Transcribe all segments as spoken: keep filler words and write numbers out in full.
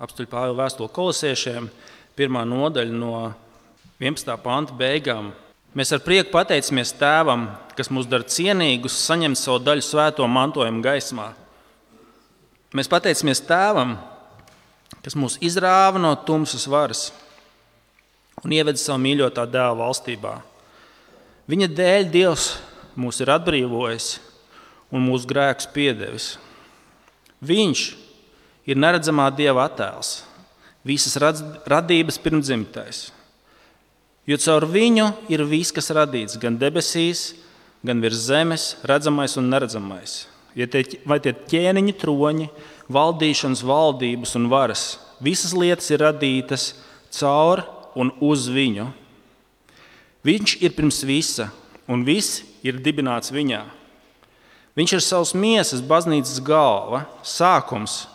apstuļu Pāvila vēstuli Kolosiešiem, pirmā nodaļa no vienpadsmitā panta beigām. Mēs ar prieku pateicamies Tēvam, kas mūs dara cienīgus, saņemt savu daļu svēto mantojumu gaismā. Mēs pateicamies Tēvam, kas mūs izrāva no tumsas varas un ieveda savu mīļotā dēla valstībā. Viņa dēļ Dievs mūs ir atbrīvojis un mūsu grēkus piedevis. Viņš ir neredzamā Dieva attēls, visas radības pirmdzimtais. Jo caur viņu ir viss, kas radīts, gan debesīs, gan virs zemes, redzamais un neredzamais. Ja tie, vai tie ķēniņi, troņi, valdīšanas, valdības un varas, visas lietas ir radītas caur un uz viņu. Viņš ir pirms visa, un viss ir dibināts viņā. Viņš ir savas miesas baznīcas galva, sākums,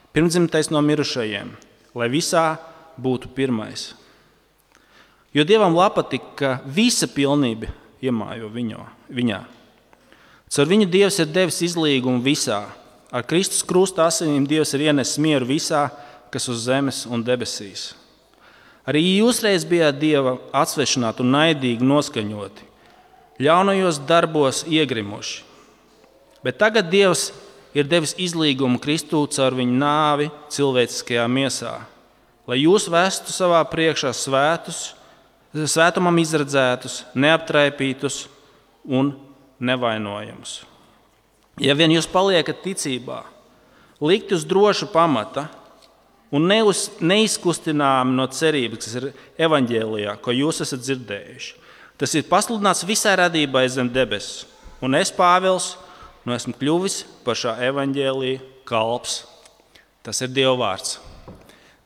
pirmdzimtais no mirušajiem, lai visā būtu pirmais. Jo Dievam patika, ka visa pilnība iemājo viņo, viņā. Caur viņu Dievs ir devis izlīgumu visā. Ar Kristus krusta asinīm Dievs ir ienesis mieru visā, kas uz zemes un debesīs. Arī jūs reiz bijāt Dieva atsvešināti un naidīgi noskaņoti, ļaunajos darbos iegrimuši. Bet tagad Dievs ir devis izlīgumu Kristū caur viņu nāvi cilvēciskajā miesā, lai jūs vestu savā priekšā svētus, svētumam izredzētus, neaptraipītus un nevainojamus. Ja vien jūs paliekat ticībā, likt uz drošu pamata un neuz, neizkustināmi no cerības, kas ir evaņģēlijā, ko jūs esat dzirdējuši. Tas ir pasludināts visai radībai zem debesis, un es, Pāvils, nu esmu kļuvis par šā evaņģēlija kalps. Tas ir Dieva vārds.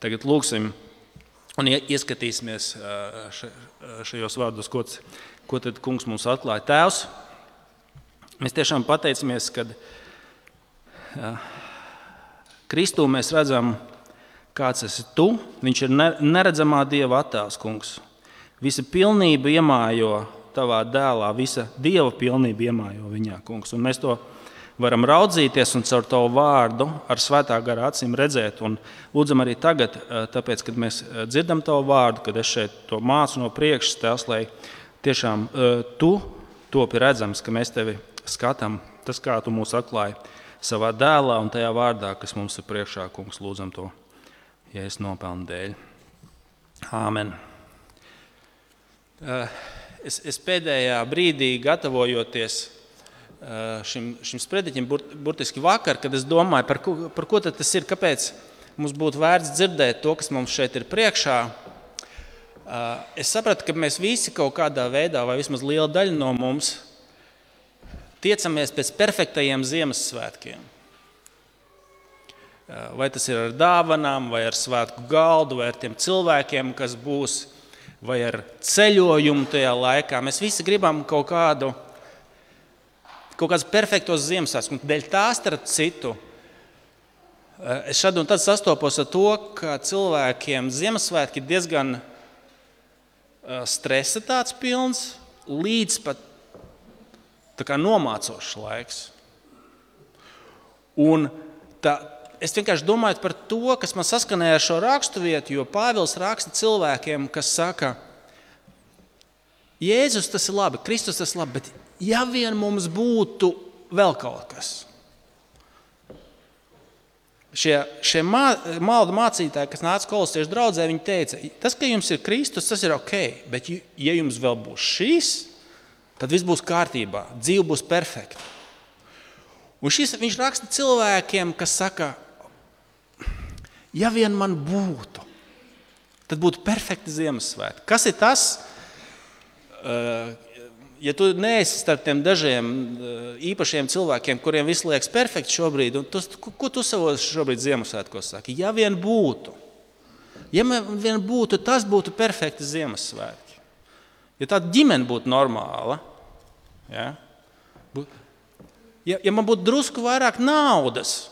Tagad lūksim un ieskatīsimies šajos vārdos, ko, ko tad kungs mums atklāja. Tēvs, mēs tiešām pateicamies, kad Kristū mēs redzam, kāds esi tu. Viņš ir neredzamā Dieva attēls, kungs. Visa pilnība iemājo tavā dēlā, visa Dieva pilnība iemājo viņā, kungs. Un mēs to varam raudzīties un caur tavu vārdu ar svētā gara acīm redzēt. Un lūdzam arī tagad, tāpēc, kad mēs dzirdam tavu vārdu, kad es šeit to mācu no priekšas, tēvs, lai tiešām tu topi redzams, ka mēs tevi skatām, tas, kā tu mūs atklāji savā dēlā un tajā vārdā, kas mums ir priekšā, kungs, lūdzam to, ja es nopelnu dēļ. Āmen. Es, es pēdējā brīdī gatavojoties šim, šim sprediķim, burtiski vakar, kad es domāju, par ko, par ko tad tas ir, kāpēc mums būtu vērts dzirdēt to, kas mums šeit ir priekšā. Es sapratu, ka mēs visi kaut kādā veidā, vai vismaz liela daļa no mums, tiecamies pēc perfektajiem Ziemassvētkiem. Vai tas ir ar dāvanām, vai ar svētku galdu, vai ar tiem cilvēkiem, kas būs, vai ar ceļojumu tajā laikā. Mēs visi gribam kaut kādu, kaut kādus perfektos Ziemassvētkus. Dēļ tā starp citu, es šad un tad sastopos ar to, ka cilvēkiem Ziemassvētki ir diezgan stresa tāds pilns, līdz pat tā kā nomācošs laiks. Un tā, es vienkārši domāju par to, kas man saskanēja ar šo raksturvietu, jo Pāvils raksta cilvēkiem, kas saka, Jēzus tas ir labi, Kristus tas ir labi, bet ja vien mums būtu vēl kaut kas. Šie, šie mā, maldu mācītāji, kas nāca kolosiešu draudzē, viņi teica, tas, ka jums ir Kristus, tas ir ok, bet ja jums vēl būs šīs, tad viss būs kārtībā, dzīve būs perfekta. Un šis, viņš raksta cilvēkiem, kas saka, ja vien man būtu, tad būtu perfekti Ziemassvētki. Kas ir tas? Ja tu neesi starp tiem dažiem īpašiem cilvēkiem, kuriem viss liekas perfekti šobrīd, un tu, ko tu savos šobrīd Ziemassvētkos saki? Ja vien būtu, ja vien būtu, tas būtu perfekti Ziemassvētki. Ja tāda ģimene būtu normāla, ja, ja, ja man būtu drusku vairāk naudas,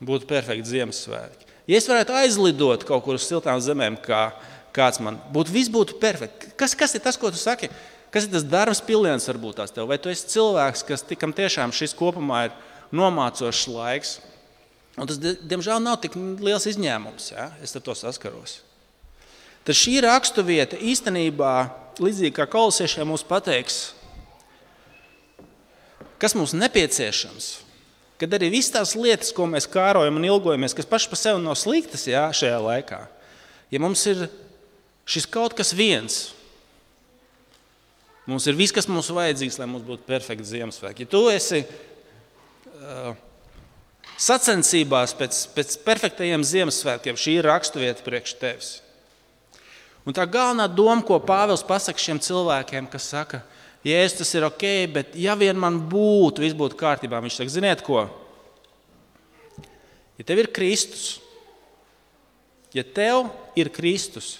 būtu perfekti Ziemassvētki. Ja es varētu aizlidot kaut kur uz siltām zemēm, kā kāds man būtu, viss būtu perfekti. Kas, kas ir tas, ko tu saki? Kas ir tas darbs piliens varbūt tās tev? Vai tu esi cilvēks, kas tikam tiešām šis kopumā ir nomācošs laiks? Un tas, diemžēl, nav tik liels izņēmums, ja? Es ar to saskaros. Tad šī raksturvieta īstenībā, līdzīgi kā kolosiešiem, mums pateiks, kas mums nepieciešams, kad arī viss tās lietas, ko mēs kārojam un ilgojamies, kas paši par sevi nav sliktas, ja, šajā laikā, ja mums ir šis kaut kas viens, mums ir viss, kas mums vajadzīgs, lai mums būtu perfekti Ziemassvētki. Ja tu esi uh, sacensībās pēc, pēc perfektajiem Ziemassvētkiem, šī ir raksturvieta priekš tevis. Un tā galvenā doma, ko Pāvils pasaka šiem cilvēkiem, kas saka, Jēzus, tas ir ok, bet ja vien man būtu, viss būtu kārtībā, viņš saka, ziniet ko? Ja tev ir Kristus, ja tev ir Kristus,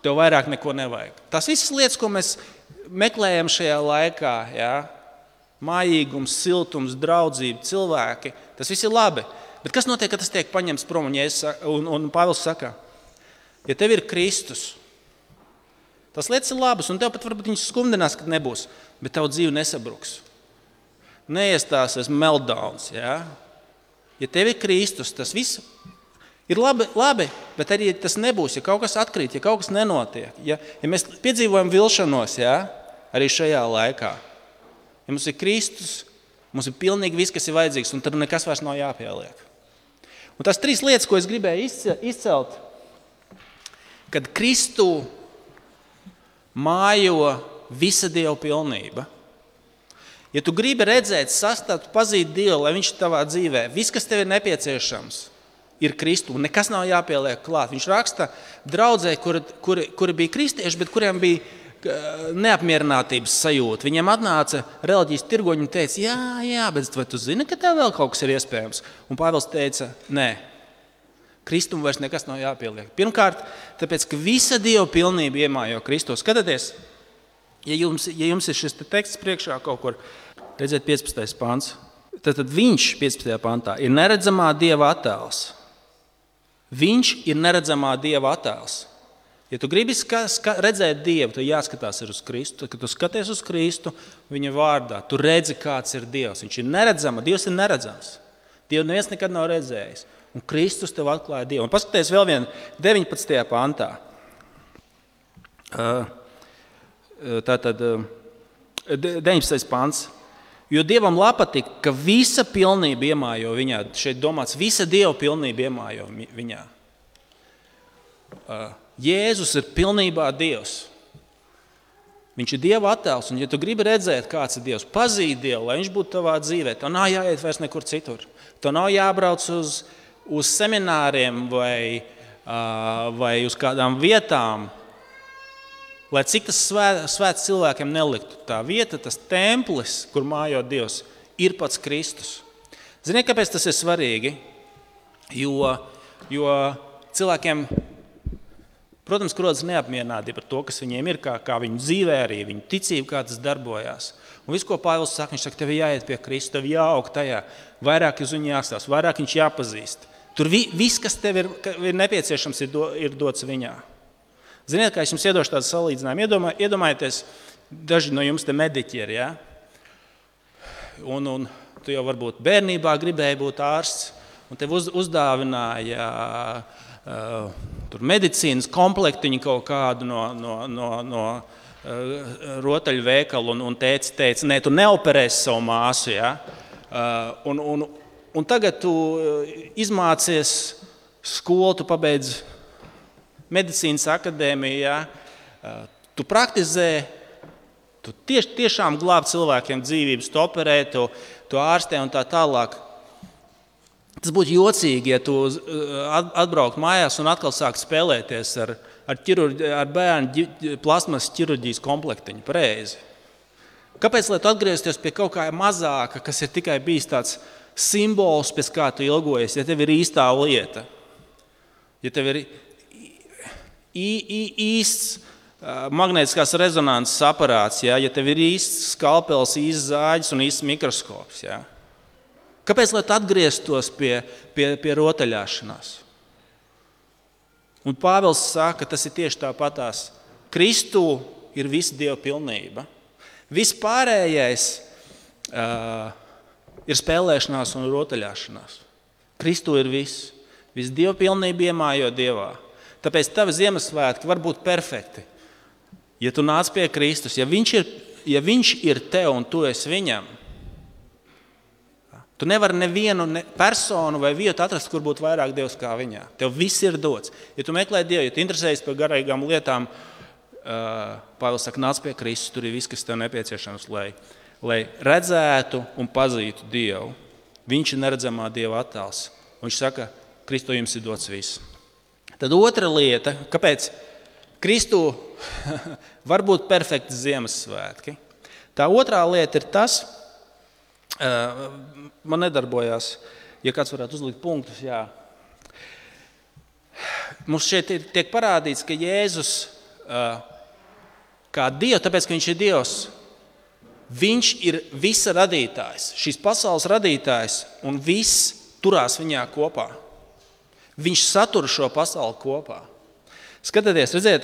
tev vairāk neko nevajag. Tās visas lietas, ko mēs meklējam šajā laikā, ja, mājīgums, siltums, draudzība, cilvēki, tas viss ir labi. Bet kas notiek, kad tas tiek paņemts prom? Un, Jēzus, un, un Pāvils saka, ja tev ir Kristus, tas lietas ir labas, un tev pat varbūt viņš skumdinās, kad nebūs, bet tavu dzīve nesabruks. Neiestāsies meltdowns. Ja? Ja tev ir Kristus, tas viss ir labi, labi, bet arī tas nebūs, ja kaut kas atkrīt, ja kaut kas nenotiek. Ja, ja mēs piedzīvojam vilšanos, ja? Arī šajā laikā, ja mums ir Kristus, mums ir pilnīgi viss, kas ir vajadzīgs, un tad nekas vairs nav jāpieliek. Un tās trīs lietas, ko es gribēju izcelt, kad Kristu mājo visa Dieva pilnība. Ja tu gribi redzēt, sastapt, pazīt Dievu, lai viņš tavā dzīvē, viss, kas tev ir nepieciešams, ir Kristu, un nekas nav jāpieliek klāt. Viņš raksta draudzē, kuri, kuri, kuri bija kristieši, bet kuriem bija neapmierinātības sajūta. Viņiem atnāca reliģijas tirgoņi un teica, jā, jā, bet vai tu zini, ka tev vēl kaut kas ir iespējams? Un Pāvils teica, nē, Kristum vairs nekas nav jāpieliek. Pirmkārt, tāpēc, ka visa Dieva pilnība iemājo Kristus. Skatieties, ja jums, ja jums ir šis teksts priekšā kaut kur, redziet piecpadsmitais pants, tad, tad viņš piecpadsmitajā pantā ir neredzamā Dieva attēls. Viņš ir neredzamā Dieva attēls. Ja tu gribi ska, ska, redzēt Dievu, tad jāskatās ir uz Kristu. Tad, kad tu skaties uz Kristu, viņa vārdā, tu redzi, kāds ir Dievs. Viņš ir neredzama, Dievs ir neredzams. Dievu neviens nekad nav redzējis. Un Kristus tev atklāja Dievu. Un paskaties vēl vien deviņpadsmitajā pantā. Tātad deviņpadsmitais pants. Jo Dievam patīk, ka visa pilnība iemājo viņā. Šeit domāts, visa Dieva pilnība iemājo viņā. Jēzus ir pilnībā Dievs. Viņš ir Dieva attēls, un ja tu gribi redzēt, kāds ir Dievs, pazīt Dievu, lai viņš būtu tavā dzīvē, tev nav jāiet vairs nekur citur. Tev nav jābrauc uz, uz semināriem vai, uh, vai uz kādām vietām, lai cik tas svēt, svēts cilvēkiem neliktu. Tā vieta, tas templis, kur mājo Dievs, ir pats Kristus. Ziniet, kāpēc tas ir svarīgi? Jo, jo cilvēkiem, protams, rodas neapmierinātība par to, kas viņiem ir, kā, kā viņu dzīvē arī, viņu ticība, kā tas darbojās. Un viss, ko Pāvils saka, viņš saka, tev jāiet pie Kristu, tev jāaug tajā, vairāk uz viņu jāstāst, vairāk viņš jāpazīst. Tur vi, viss, kas tev ir, ir nepieciešams, ir, do, ir dots viņā. Ziniet, kā es jums iedošu tādu salīdzinājumu, Iedomā, iedomājieties, daži no jums te mediķi ir, ja? Un, un tu jau varbūt bērnībā gribēji būt ārsts, un tev uz, uzdāvināja Uh, tur medicīnas komplektiņu kaut kādu no, no, no, no uh, rotaļu veikalu un, un teica, teica, nē, tu neoperēsi savu māsu, ja? uh, un, un, un tagad tu izmācies skolu, tu pabeidz medicīnas akadēmiju, ja? uh, tu praktizē, tu tieš, tiešām glāb cilvēkiem dzīvības, tu operē, tu, tu ārstē un tā tālāk. Tas būtu jocīgi, ja tu atbraukt mājās un atkal sāk spēlēties ar, ar, ķirurģi, ar bērnu plasmas ķirurģijas komplektiņu. Pareizi. Kāpēc, lai tu atgriezties pie kaut kā mazāka, kas ir tikai bijis tāds simbols, pēc kā tu ilgojies, ja tev ir īstā lieta, ja tev ir ī, ī, īsts magnētiskās rezonanses aparāts, ja, ja tev ir īsts skalpels, īsts zāģis un īsts mikroskops, ja. Kāpēc, lai tu atgrieztos pie, pie, pie rotaļāšanās? Un Pāvils saka, ka tas ir tieši tāpatās. Kristu ir visa Dieva pilnība. Viss pārējais, uh, ir spēlēšanās un rotaļāšanās. Kristū ir viss. Viss dievpilnība iemājo Dievā. Tāpēc tavi Ziemassvētki var būt perfekti. Ja tu nāc pie Kristus, ja viņš ir, ja viņš ir tev un tu esi viņam, tu nevari nevienu ne personu vai vietu atrast, kur būtu vairāk Dievs kā viņā. Tev viss ir dots. Ja tu meklē Dievu, ja tu interesējies par garīgām lietām, uh, Pāvils saka, nāc pie Kristus, tur ir viss, kas tev nepieciešams, lai, lai redzētu un pazītu Dievu. Viņš ir neredzamā Dieva attēls. Un viņš saka, Kristu jums ir dots viss. Tad otra lieta, kāpēc Kristu var būt perfekti Ziemassvētki. Tā otrā lieta ir tas, uh, man nedarbojās, ja kāds varētu uzlikt punktus, jā. Mums šeit ir, tiek parādīts, ka Jēzus uh, kā Dievs, tāpēc, ka viņš ir Dievs, viņš ir visa radītājs, šīs pasaules radītājs, un viss turās viņā kopā. Viņš satur šo pasauli kopā. Skatieties, redziet,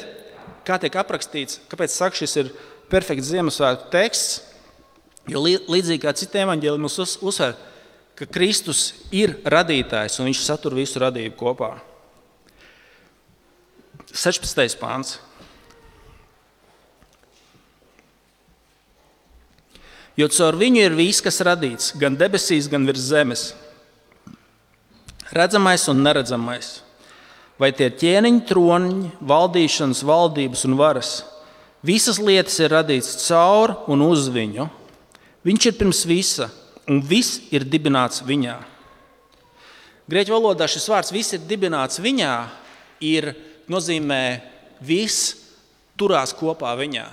kā tiek aprakstīts, kāpēc saka, šis ir perfekts Ziemassvētku teksts, jo līdzīgi kā citi evaņģēļi mums uzsver, ka Kristus ir radītājs un viņš satur visu radību kopā. sešpadsmitais pāns. Jo caur viņu ir viss, kas radīts, gan debesīs, gan virs zemes. Redzamais un neredzamais, vai tie ķēniņi, troniņi, valdīšanas, valdības un varas. Visas lietas ir radītas caur un uz viņu. Viņš ir pirms visa, un viss ir dibināts viņā. Grieķu valodā šis vārds viss ir dibināts viņā, ir nozīmē viss turās kopā viņā.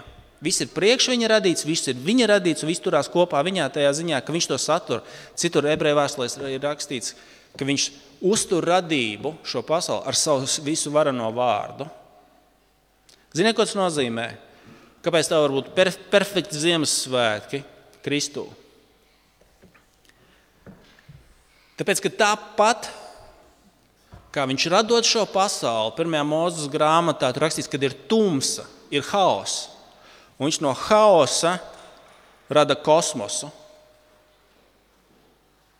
Viss ir priekš viņa radīts, viss ir viņa radīts, un viss turās kopā viņā tajā ziņā, ka viņš to satur. Citur ebreju vēstulēs ir rakstīts, ka viņš uztur radību šo pasauli ar savu visu varano vārdu. Ziniet, ko tas nozīmē? Kāpēc tā var būt perf- perfekti Ziemassvētki Kristū? Tāpēc, ka tāpat, kā viņš radot šo pasauli, pirmajā Mūzes grāmatā tur rakstīts, kad ir tumsa, ir haoss. Un viņš no haosa rada kosmosu.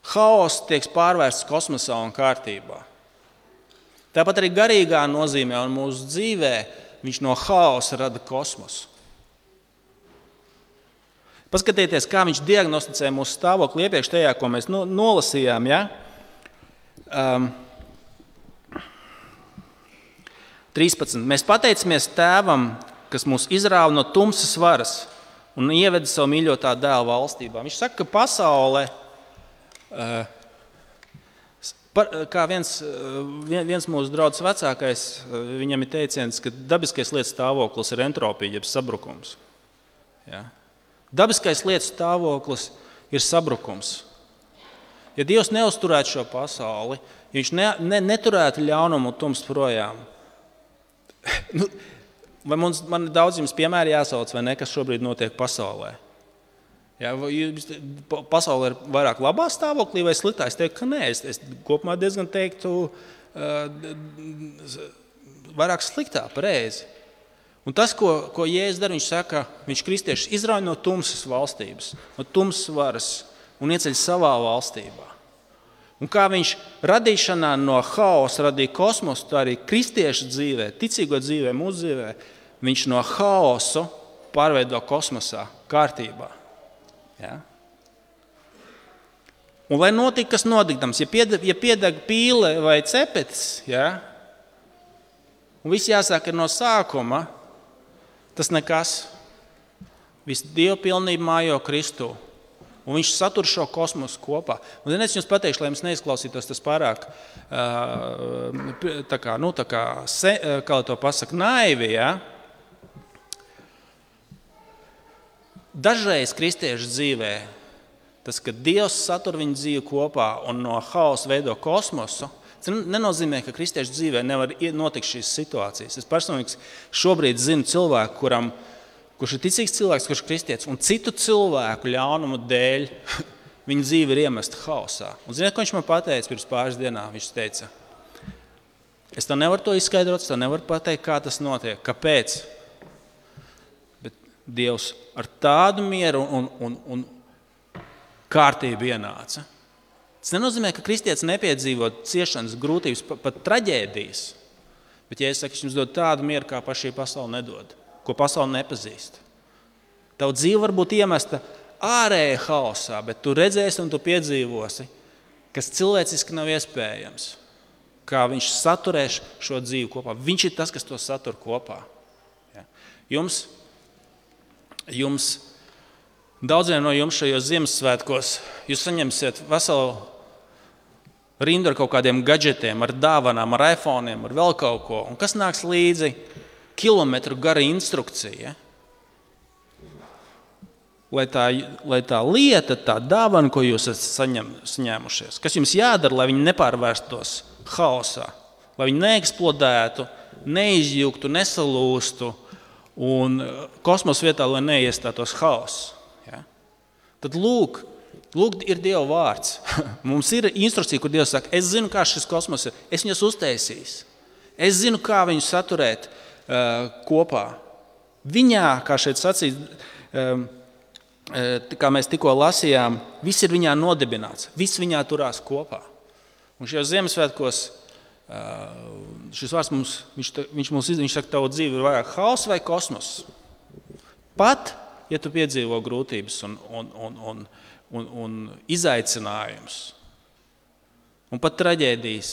Haoss tiek pārvērsts kosmosā un kārtībā. Tāpat arī garīgā nozīmē un mūsu dzīvē viņš no haosa rada kosmosu. Paskatieties, kā viņš diagnosticē mūsu stāvokli iepriekš tajā, ko mēs nolasījām. Ja? Um, trīspadsmit. Mēs pateicamies Tēvam, kas mūs izrāva no tumsas varas un ieveda savu mīļotā dēla valstībā. Viņš saka, ka pasaule, kā viens, viens mūsu draugs vecākais, viņam ir teiciens, ka dabiskais lietas stāvoklis ir entropija, jeb sabrukums. Ja? Dabiskais lietas stāvoklis ir sabrukums. Ja Dievs neuzturētu šo pasauli, ja viņš ne, ne, neturētu ļaunumu un tumsu projām, nu, vai mums, man daudz jums piemēri jāsauc, vai ne, kas šobrīd notiek pasaulē? Ja, pasaule ir vairāk labā stāvoklī vai sliktā? Es teiktu, ka nē. Es, es kopumā diezgan teiktu uh, vairāk sliktā, pareizi. Un tas, ko, ko Jēzus dara, viņš saka, viņš kristiešus izrauj no tumsas valstības, no tumsas varas un ieceļ savā valstībā. Un kā viņš radīšanā no haosa radīja kosmosu, tā arī kristiešu dzīvē, ticīgo dzīvē, mūsu dzīvē, viņš no haosu pārveido kosmosā, kārtībā. Ja? Un lai notika, kas notikdams, ja piedeg, ja piedeg pīle vai cepetis, ja? Un viss jāsāk no sākuma, tas nekas. Viss dievpilnība mājo Kristū. Un viņš satur šo kosmosu kopā. Un es jums pateikšu, lai jums neizklausītos tas pārāk, tā kā, nu, tā kā, kā to pasaka, naivi, ja? Dažreiz kristiešu dzīvē, tas, ka Dievs satur viņu dzīvi kopā un no haosa veido kosmosu, tas nenozīmē, ka kristiešu dzīvē nevar notikt šīs situācijas. Es personīgi šobrīd zinu cilvēku, kuram kurš ir ticīgs cilvēks, kurš ir kristietis, un citu cilvēku ļaunumu dēļ viņa dzīve ir iemesta haosā. Un ziniet, ko viņš man pateica pirms pāris dienām? Viņš teica, es tev nevaru to izskaidrot, es tev nevaru pateikt, kā tas notiek, kāpēc. Bet Dievs ar tādu mieru un, un, un kārtība ienāca. Tas nenozīmē, ka kristietis nepiedzīvo ciešanas, grūtības, pat traģēdijas. Bet, ja es saku, es jums dodu tādu mieru, kā pašī pasaule nedod, ko pasaule nepazīst. Tavu dzīve var būt iemesta ārēja haosā, bet tu redzēsi un tu piedzīvosi, kas cilvēciski nav iespējams. Kā viņš saturēs šo dzīvi kopā. Viņš ir tas, kas to satur kopā. Ja. Jums, jums, daudziem no jums šajos Ziemassvētkos, jūs saņemsiet veselu rindu ar kaut kādiem gadžetiem, ar dāvanām, ar iPhone'iem, ar vēl kaut ko. Un kas nāks līdzi? Kilometru gara instrukcija. Lai tā, lai tā lieta, tā dāvana, ko jūs esat saņem, saņēmušies, kas jums jādara, lai viņi nepārvērstos haosā, lai viņi neeksplodētu, neizjuktu, nesalūstu un kosmosa vietā, lai neiestātos haoss. Ja? Tad lūk, lūk, ir Dieva vārds. Mums ir instrukcija, kur Dievs saka, es zinu, kā šis kosmos ir, es viņus uztaisīs. Es zinu, kā viņus saturēt uh, kopā. Viņā, kā šeit sacīt, um, kā mēs tikko lasījām, viss ir viņā nodibināts, viss viņā turās kopā. Un šajos Ziemassvētkos šis vārds mums, viņš, viņš mums viņš saka, tavu dzīvi ir vairāk haoss vai kosmos. Pat, ja tu piedzīvo grūtības un, un, un, un, un, un izaicinājums, un pat traģēdijas,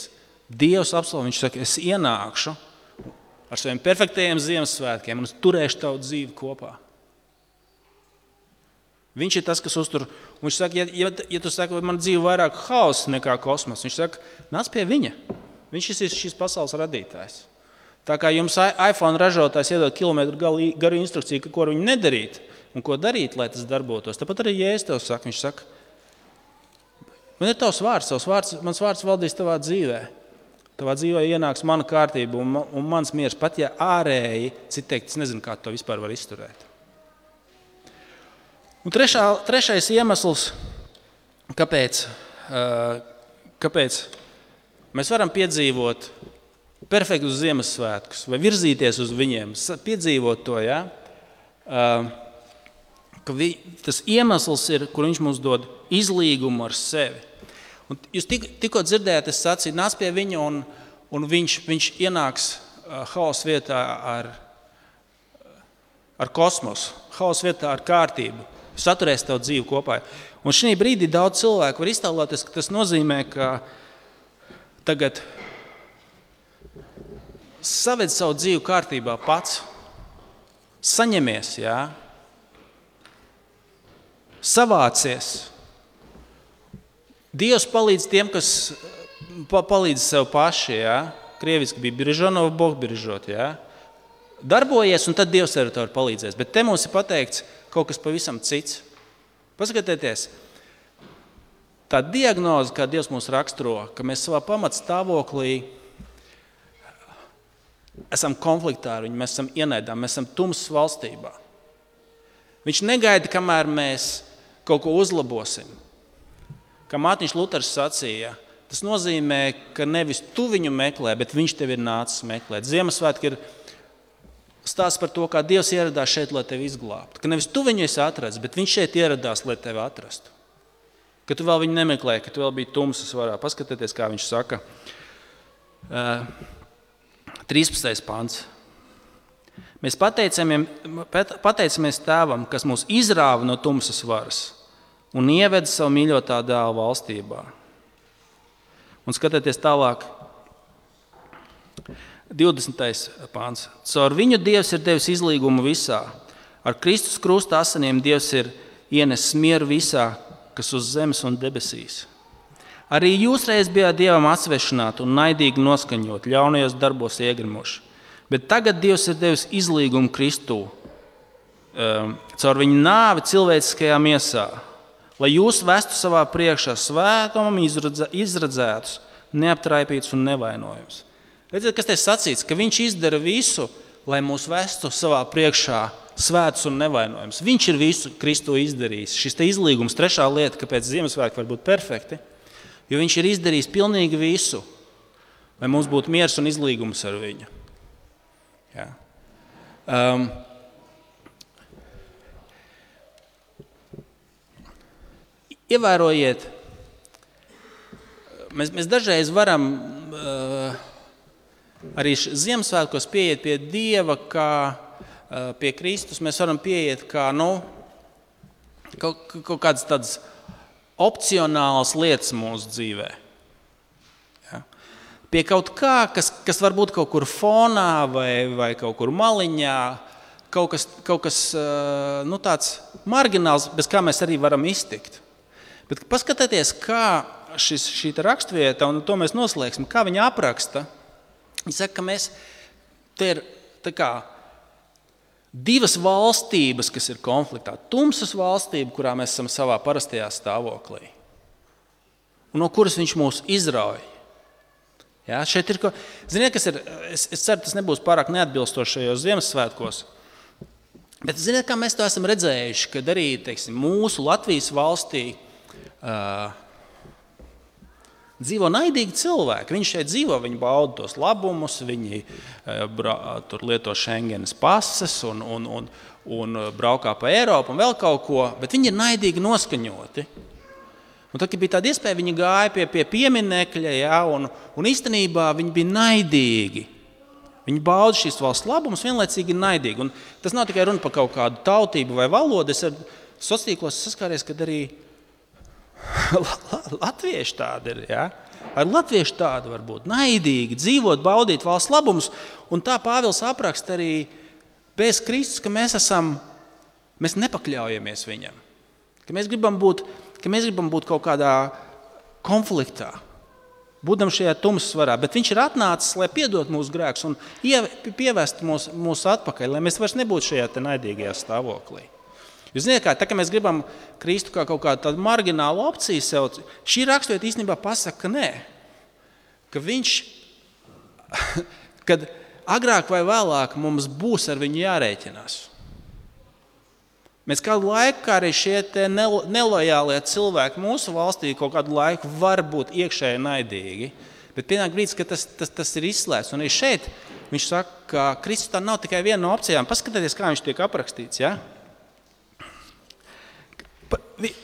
Dievs apsolīja, viņš saka, es ienākšu ar saviem perfektajiem Ziemassvētkiem un es turēšu tavu dzīvi kopā. Viņš ir tas, kas uztur. Un viņš saka, ja, ja, ja tu saki, man dzīve vairāk haosa nekā kosmos, viņš saka, nāc pie viņa. Viņš ir šīs pasaules radītājs. Tā kā jums iPhone ražotājs iedod kilometru garu instrukciju, ko viņi nedarīt un ko darīt, lai tas darbotos. Tāpat arī Jēzus tev saka, viņš saka, man ir tavs vārds, tavs vārds, mans vārds valdīs tavā dzīvē. Tavā dzīvē ienāks mana kārtība un, un mans miers, pat ja ārēji, cit teikt, es nezinu, kā to vispār var izturēt. Un trešā, trešais iemesls, kāpēc, kāpēc mēs varam piedzīvot perfektus Ziemassvētkus vai virzīties uz viņiem, piedzīvot to, ja? Ka vi, tas iemesls ir, kur viņš mums dod izlīgumu ar sevi. Un jūs tik, tikko dzirdējāt, es sacīju, nāc pie viņa un, un viņš, viņš ienāks haosa vietā ar, ar kosmosu, haosa vietā ar kārtību. Saturēs tev dzīvi kopā. Un šī brīdī daudz cilvēku var iztēloties, ka tas nozīmē, ka tagad saved savu dzīvi kārtībā pats, saņemies, jā, savācies. Dievs palīdz tiem, kas palīdz sev paši, jā. Krieviski bija biržonov, Bog biržot, jā. Darbojies, un tad Dievs arī tev palīdzēs. Bet te mums ir pateikts kaut kas pavisam cits. Paskatieties, tā diagnoze, kā Dievs mūs raksturo, ka mēs savā pamatstāvoklī esam konfliktā ar viņu, mēs esam ienaidā, mēs esam tumsas valstībā. Viņš negaida, kamēr mēs kaut ko uzlabosim. Kā Mārtiņš Luters sacīja, tas nozīmē, ka nevis tu viņu meklē, bet viņš tevi ir nācis meklēt. Ziemassvētki ir stāsts par to, kā Dievs ieradās šeit, lai tevi izglābtu. Ka nevis tu viņu esi atrasts, bet viņš šeit ieradās, lai tevi atrastu. Ka tu vēl viņu nemeklēji, ka tu vēl biji tumsas varā. Paskatieties, kā viņš saka. trīspadsmitais pants. Mēs pateicamies Tēvam, kas mūs izrāva no tumsas varas un ieveda savu mīļotā dēla valstībā. Un skatieties tālāk. divdesmitais pāns. Caur viņu Dievs ir devis izlīgumu visā. Ar Kristus krusta asinīm Dievs ir ienesis mieru visā, kas uz zemes un debesīs. Arī jūs reiz bijāt Dievam atsvešināti un naidīgi noskaņot, ļaunajos darbos iegrimuši. Bet tagad Dievs ir devis izlīgumu Kristū, um, caur viņu nāvi cilvēciskajā miesā, lai jūs vestu savā priekšā svētumam izradzētus, neaptraipītus un nevainojums. Redziet, kas te sacīts, ka viņš izdara visu, lai mūs vestu savā priekšā svētus un nevainojums. Viņš ir visu Kristu izdarījis. Šis te izlīgums, trešā lieta, kāpēc Ziemassvētki var būt perfekti, jo viņš ir izdarījis pilnīgi visu, lai mums būtu miers un izlīgums ar viņu. Ja. Um, Ievērojiet, mēs, mēs dažreiz varam uh, arī Ziemassvētkos pieiet pie Dieva, kā uh, pie Kristus. Mēs varam pieiet kā nu, kaut, kaut kādas tādas opcionālas lietas mūsu dzīvē. Ja? Pie kaut kā, kas, kas varbūt kaut kur fonā vai, vai kaut kur maliņā, kaut kas, kaut kas uh, nu, tāds margināls, bez kā mēs arī varam iztikt. Bet paskatieties, kā šis, šī rakstvieta, un to mēs noslēgsim, kā viņa apraksta. Viņa saka, ka mēs, te ir tā kā divas valstības, kas ir konfliktā. Tumsas valstība, kurā mēs esam savā parastajā stāvoklī, un no kuras viņš mūs izrauj. Ja, šeit ir, ko, ziniet, kas ir, es, es ceru, tas nebūs pārāk neatbilstošajos Ziemassvētkos, bet ziniet, kā mēs to esam redzējuši, kad arī, teiksim, mūsu Latvijas valstī Uh, dzīvo naidīgi cilvēki. Viņi šeit dzīvo, viņi bauda tos labumus, viņi uh, bra, tur lieto Schengenas pases un, un, un, un braukā pa Eiropu un vēl kaut ko, bet viņi ir naidīgi noskaņoti. Un tad, kad bija tāda iespēja, viņi gāja pie, pie pieminekļa, ja, un, un īstenībā viņi bija naidīgi. Viņi bauda šīs valsts labumus, vienlaicīgi ir naidīgi. Un tas nav tikai runa par kaut kādu tautību vai valodu. Es ar sociālos saskāries, kad arī latvieši tādi ir, ja? Ar latvieši tādi var būt naidīgi, dzīvot, baudīt valsts labumus, un tā Pāvils apraksta arī bez Kristus, ka mēs esam, mēs nepakļaujamies viņam, ka mēs gribam būt, ka mēs gribam būt kaut kādā konfliktā, būdam šajā tumsvarā, bet viņš ir atnācis, lai piedot mūsu grēkus un pievest mūs, mūs atpakaļ, lai mēs vairs nebūtu šajā te naidīgajā stāvoklī. Jūs zināt, kā, tā, ka mēs gribam Kristu kā kaut kādu tādu marginālu opciju sev, šī rakstvieta īstenībā pasaka, ka nē, ka viņš, kad agrāk vai vēlāk mums būs ar viņu jārēķinās. Mēs kādu laiku, kā arī šie te nelojālie cilvēki mūsu valstī kaut kādu laiku var būt iekšēji naidīgi, bet pienāk brīdis, ka tas, tas, tas ir izslēgts. Un arī šeit viņš saka, ka Kristus tā nav tikai viena no opcijām. Paskatieties, kā viņš tiek aprakstīts, ja?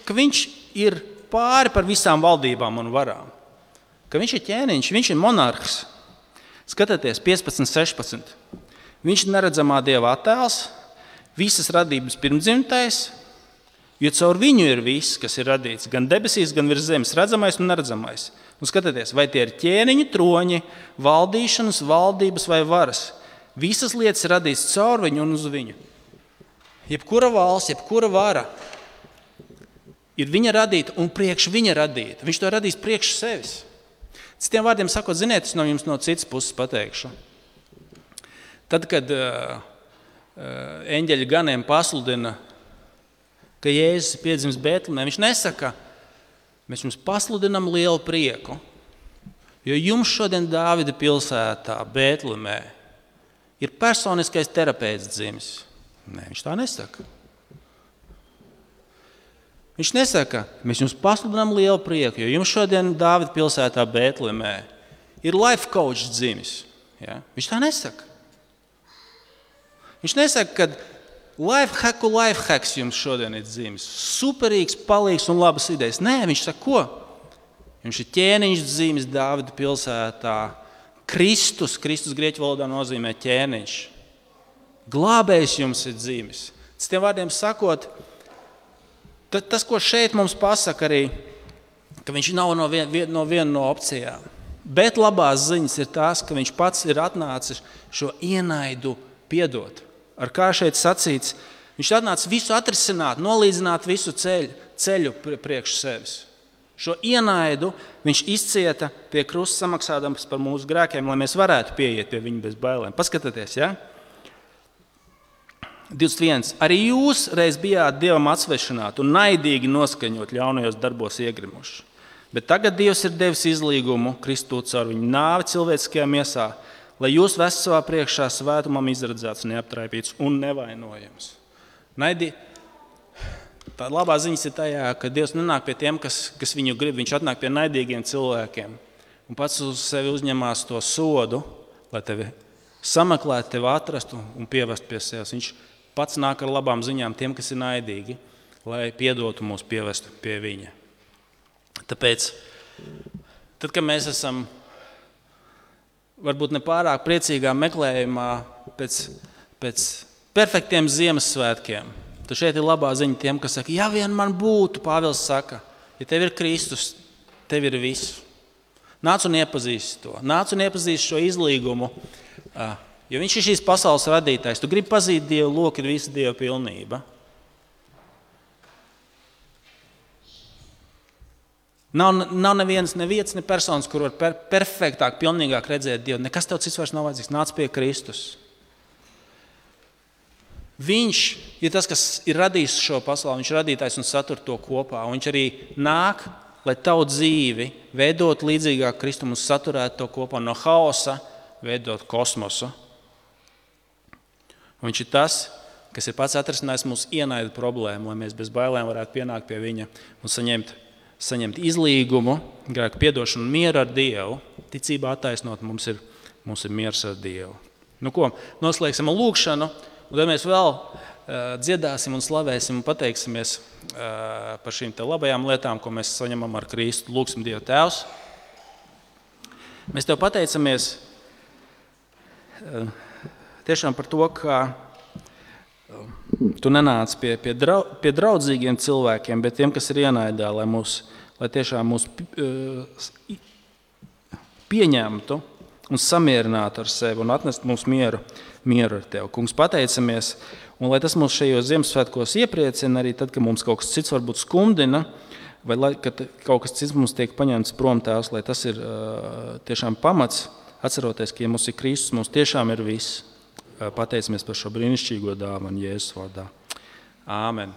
Ka viņš ir pāri par visām valdībām un varām. Ka viņš ir ķēniņš, viņš ir monarhs. Skatieties, piecpadsmit, sešpadsmit. Viņš ir neredzamā Dieva attēls, visas radības pirmdzimtais, jo caur viņu ir viss, kas ir radīts, gan debesīs, gan virs zemes, redzamais un neredzamais. Un skatieties, vai tie ir ķēniņi, troņi, valdīšanas, valdības vai varas. Visas lietas ir radīts caur viņu un uz viņu. Jebkura valsts, jebkura vara ir viņa radīta un priekš viņa radīta. Viņš to radīs priekš sevis. Citiem vārdiem sakot, ziniet, es no jums no citas puses pateikšu. Tad, kad uh, uh, eņģeļi ganiem pasludina, ka Jēzus ir piedzimis Bētlemē, viņš nesaka, mēs jums pasludinam lielu prieku, jo jums šodien Dāvida pilsētā Bētlemē ir personiskais terapeits dzimis. Nē, viņš tā nesaka. Viņš nesaka, mēs jums pasludinām lielu prieku, jo jums šodien Dāvida pilsētā Bētlemē ir life coach dzimis. Ja? Viņš tā nesaka. Viņš nesaka, ka life hacku life hacks jums šodien ir dzimis. Superīgs, palīgs un labas idejas. Nē, viņš saka, ko? Viņš ir ķēniņš dzimis Dāvida pilsētā. Kristus, Kristus grieķu valodā nozīmē ķēniņš. Glābējs jums ir dzimis. Citiem vārdiem sakot, tas, ko šeit mums pasaka arī, ka viņš nav no viena no, vien no opcijām. Bet labās ziņas ir tās, ka viņš pats ir atnācis šo ienaidu piedot. Ar kā šeit sacīts, viņš atnācis visu atrisināt, nolīdzināt visu ceļu, ceļu priekš sevis. Šo ienaidu viņš izcieta pie krusta samaksādams par mūsu grēkiem, lai mēs varētu pieiet pie viņa bez bailēm. Paskatieties, ja? divdesmit viens. Arī jūs reiz bijāt Dievam atsvešināti un naidīgi noskaņot ļaunajos darbos iegrimuši. Bet tagad Dievs ir devis izlīgumu Kristu caur viņu nāvi cilvēciskajā miesā, lai jūs vestu savā priekšā svētumam izradzēts, neaptraipīts un nevainojams. Naidi, tā labā ziņas ir tajā, ka Dievs nenāk pie tiem, kas, kas viņu grib. Viņš atnāk pie naidīgiem cilvēkiem un pats uz sevi uzņemās to sodu, lai tevi sameklētu, tevi atrastu un pievestu pie sevis. Viņš pats nāk ar labām ziņām tiem, kas ir naidīgi, lai piedotu mūs pievestu pie viņa. Tāpēc, tad, kad mēs esam varbūt ne pārāk priecīgā meklējumā pēc, pēc perfektiem Ziemassvētkiem, tad šeit ir labā ziņa tiem, kas saka, ja vien man būtu, Pāvils saka, ja tev ir Kristus, tev ir viss. Nāc un iepazīsti to. Nāc un iepazīsti šo izlīgumu, jo viņš ir šīs pasaules radītājs. Tu gribi pazīt Dievu, lūk, ir visa Dieva pilnība. Nav, nav neviens, neviens, ne personas, kur var per, perfektāk, pilnīgāk redzēt Dievu. Nekas tev cits vairs nav vajadzīgs. Nāc pie Kristus. Viņš ir tas, kas ir radījis šo pasauli. Viņš ir radītājs un satur to kopā. Un viņš arī nāk, lai tavu dzīvi veidot līdzīgāk Kristum un saturētu to kopā no haosa, veidot kosmosu. Un viņš ir tas, kas ir pats atrisinājis mūsu ienaida problēmu, lai mēs bez bailēm varētu pienākt pie viņa un saņemt saņemt izlīgumu, grēku piedošanu un mieru ar Dievu. Ticībā attaisnot mums ir, mums ir miers ar Dievu. Nu ko, noslēgsim lūkšanu, un tad mēs vēl uh, dziedāsim un slavēsim un pateiksimies uh, par šīm te labajām lietām, ko mēs saņemam ar Kristu. Lūksim Dievu Tēvs. Mēs Tev pateicamies uh, tiešām par to, ka uh, Tu nenāc pie, pie, drau, pie draudzīgiem cilvēkiem, bet tiem, kas ir ienaidā, lai, mūs, lai tiešām mūs pieņemtu un samierinātu ar sevi un atnestu mums mieru, mieru ar Tev. Kungs, pateicamies, un lai tas mūs šajos Ziemassvētkos iepriecina, arī tad, kad mums kaut kas cits varbūt skumdina, vai lai, kad kaut kas cits mums tiek paņemts prom Tēvs, lai tas ir uh, tiešām pamats, atceroties, ka ja mums ir Kristus, mums tiešām ir viss. Pateicamies par šo brīnišķīgo dāvanu Jēzus vārdā. Āmen.